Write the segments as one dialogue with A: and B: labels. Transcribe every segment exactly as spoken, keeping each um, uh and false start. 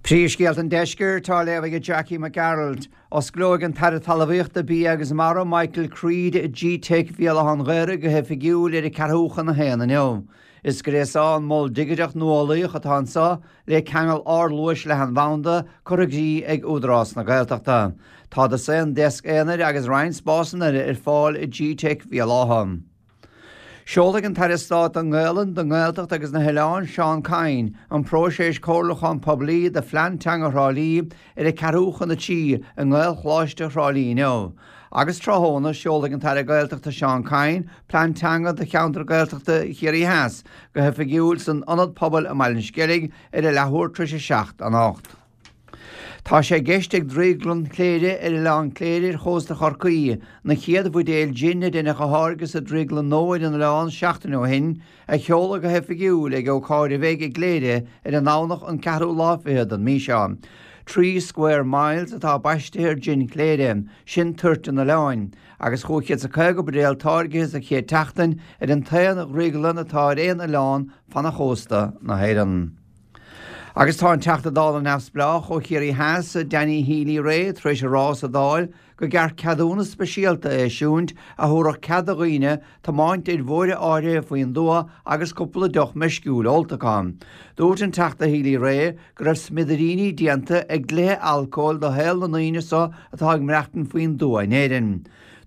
A: Príomhscéalta an Deiscirt á léamh ag Jackie Mac Gearailt. Osclóidh an tAire Talmhaíochta Bia agus Mara Michael Creed G-Teic Bhéal Átha an Ghaorthaidh go hoifigiúil ar a ceathrú chun a haon inniu. Is gréasán mol digiteach nuálaíoch atá anseo le ceangal ardluais leathanbhanda curtha i gcrích ag Údarás na Gaeltachta. Tá dosaen deasc aonair agus roinnt spásanna eile ar fáil i G-Teic Bhéal Átha. Seolfaidh an tAire Stáit don nGaelainn, don nGaeltacht agus na hOileáin, Seán Kyne, an próiseas comhairliúcháin poiblí do Phlean Teanga Thrá Lí ar a ceathrú chun a trí i nGaelcholáiste Thrá Lí inniu. Agus tráthnóna, seolfaidh an tAire Gaeltachta Seán Kyne Plean Teanga do Cheantar Gaeltachta Chiarraí Theas go hoifigiúil san Ionad Pobail i mBaile an Sceilg ar a leathuair tar éis a seacht anocht. Tá sé i gceist ag Drioglann Chléire ar Oileán Cléire ar chósta Chorcaí na chéad bhuidéil jin a deineadh a tháirgeadh sa drioglann nua ar an oileán seachtain ó shin a sheoladh go hoifigiúil ag ócáid a bheidh i gCléire ar an nDomhnach an ceathrú lá fichead den mhí seo. Three Square Miles atá baistithe ar jin Chléire, sin toirt an oileáin, agus chúig chéad is caoga buidéal táirgithe sa chéad tseachtain ar an t-aon dhrioglann atá ar aon oileán fan chósta na hÉireann. Agus tá an Teachta Dála neamhspleách ó Chiarraí Theas, Danny Healy-Rae, tar éis a rá sa Dáil go gceart ceadúnas speisialta a eisiúint a thabharfadh cead do dhaoine tiomáint ar bhóithre áirithe faoin dtuath agus cúpla deoch meisciúil ólta acu. Dúirt an Teachta Healy-Rae go raibh smidiríní déanta ag dlíthe alcóil do shaol na ndaoine seo atá ag maireachtaint faoin dtuath in Éirinn.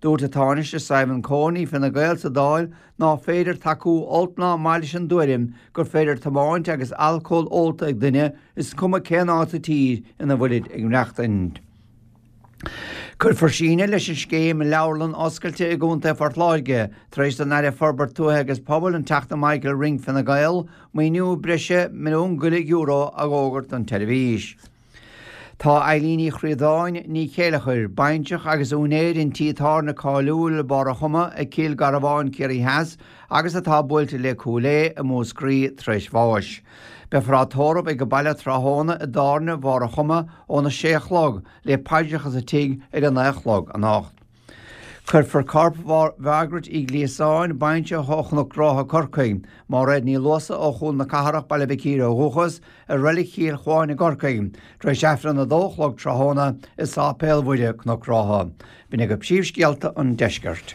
A: Dúirt an Tánaiste Simon Coveney Fine Gael sa Dáil ná féidir tacú olc ná maith leis an dtuairim gur féidir tiomáint agus alcól ólta ag duine is cuma cén áit sa tír ina bhfuilid ag maireachtaint. Cuirfear síneadh leis an scéim leabharlann oscailte i gContae Phort Láirge tar éis don Aire Forbairt Tuaithe agus Pobail an Teachta Michael Ring Fine Gael maoiniú breise milliún go leith euro a fhógairt don tseirbhís. Tá Eileen Ní Chríodáin Ní Chéileachair, baintreach agus úinéir an tí tábhairne cáiliúil Barr a' Chuma ag Cill Garbháin Ciarraí Theas agus atá buailte le Cúil Aodha i Múscraí tar éis bháis. Beifear á tórramh ag an baile tráthnóna i dtábhairne Bharr a' Chuma óna sé a chlog le paidreacha sa tigh ar a naoi a chlog anocht. Cuirfear corp Mhargaret Uí Ghliasáin, baintreach ó Chnoc Rátha Corcaigh, Máiréad Ní Luasa ó Chúl na Cathrach Baile Mhic Íre ó dhúchas, i Reilig Chill Chuáin i gCorcaigh, tar éis Aifreann a dó a chlog tráthnóna i Sáipéal Mhuire Cnoc Rátha. B'in agaibh príomhscéalta an deiscirt.